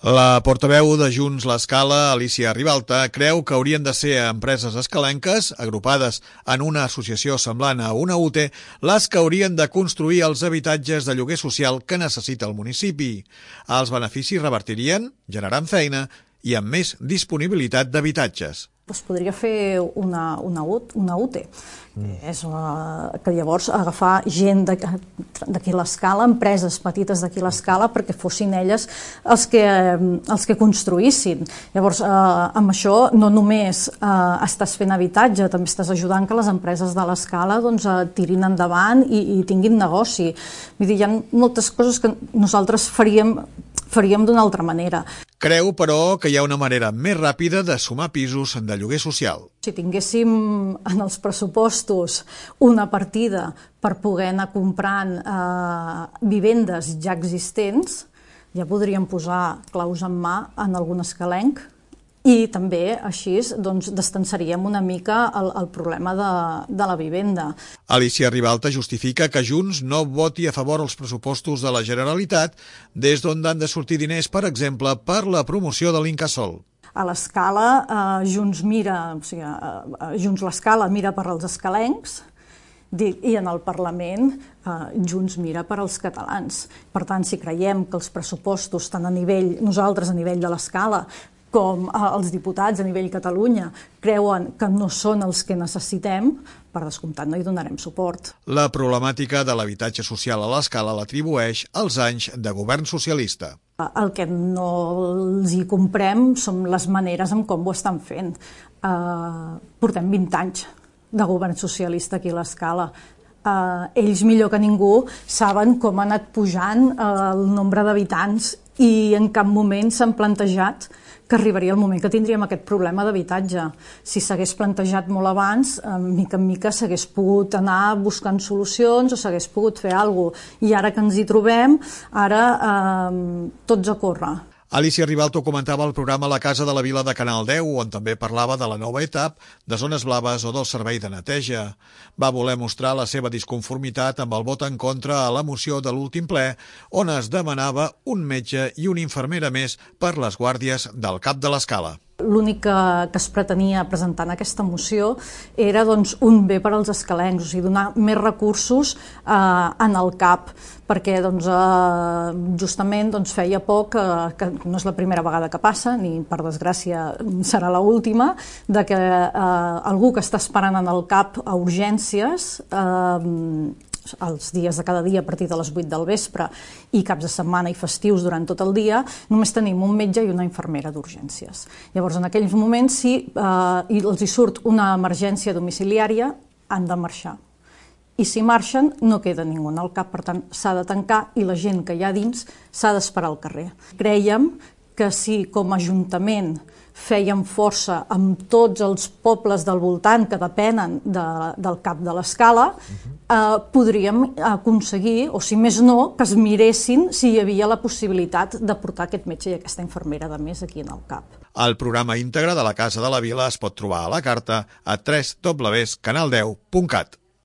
La portaveu de Junts l'Escala, Alicia Ribalta, creu que haurien de ser empreses escalenques, agrupades en una associació semblant a una UTE, les que haurien de construir els habitatges de lloguer social que necessita el municipi. Els beneficis revertirien, generant feina i amb més disponibilitat d'habitatges. Es podria fer una UTE, que llavors agafar gent d'aquí l'Escala, empreses petites d'aquí l'Escala, perquè fossin elles els que construïssin. Llavors, amb això no només estàs fent habitatge, també estàs ajudant que les empreses de l'Escala tirin endavant i tinguin negoci. Vull dir, hi ha moltes coses que nosaltres faríem d'una altra manera. Creu, però, que hi ha una manera més ràpida de sumar pisos de lloguer social. Si tinguéssim en els pressupostos una partida per poder anar comprant vivendes ja existents, ja podríem posar claus en mà en algun escalenc i també així distanciaríem una mica el problema de la vivenda. Alicia Ribalta justifica que Junts no voti a favor els pressupostos de la Generalitat, des d'on han de sortir diners, per exemple, per la promoció de l'Incasòl. A l'Escala, Junts l'Escala mira per als escalencs i en el Parlament Junts mira per als catalans. Per tant, si creiem que els pressupostos, tant nosaltres a nivell de l'Escala, com els diputats a nivell Catalunya creuen que no són els que necessitem, per descomptat no hi donarem suport. La problemàtica de l'habitatge social a l'Escala l'atribueix als anys de govern socialista. El que no els hi comprem són les maneres en com ho estan fent. Portem 20 anys de govern socialista aquí a l'Escala. Ells millor que ningú saben com ha anat pujant el nombre d'habitants i en cap moment s'han plantejat que arribaria el moment que tindríem aquest problema d'habitatge. Si s'hagués plantejat molt abans, mica en mica s'hagués pogut anar buscant solucions o s'hagués pogut fer alguna cosa. I ara que ens hi trobem, ara tots a córrer. Alicia Ribalta comentava el programa La Casa de la Vila de Canal 10, on també parlava de la nova etapa, de zones blaves o del servei de neteja. Va voler mostrar la seva disconformitat amb el vot en contra a la moció de l'últim ple, on es demanava un metge i una infermera més per les guàrdies del CAP de l'Escala. L'únic que es pretenia presentar en aquesta moció era un bé per als escalencs, o sigui, donar més recursos en el CAP, perquè justament feia poc, que no és la primera vegada que passa, ni per desgràcia serà l'última, que algú que està esperant en el CAP a urgències, els dies de cada dia a partir de les 8 del vespre i caps de setmana i festius durant tot el dia, només tenim un metge i una infermera d'urgències. Llavors, en aquells moments, si els hi surt una emergència domiciliària, han de marxar. I si marxen, no queda ningú al CAP, per tant, s'ha de tancar i la gent que hi ha dins s'ha d'esperar al carrer. Crèiem que si com a Ajuntament fèiem força amb tots els pobles del voltant que depenen del CAP de l'Escala, podríem aconseguir, o si més no, que es miressin si hi havia la possibilitat de portar aquest metge i aquesta infermera de més aquí en el CAP. El programa íntegre de la Casa de la Vila es pot trobar a la carta a www.canal10.cat.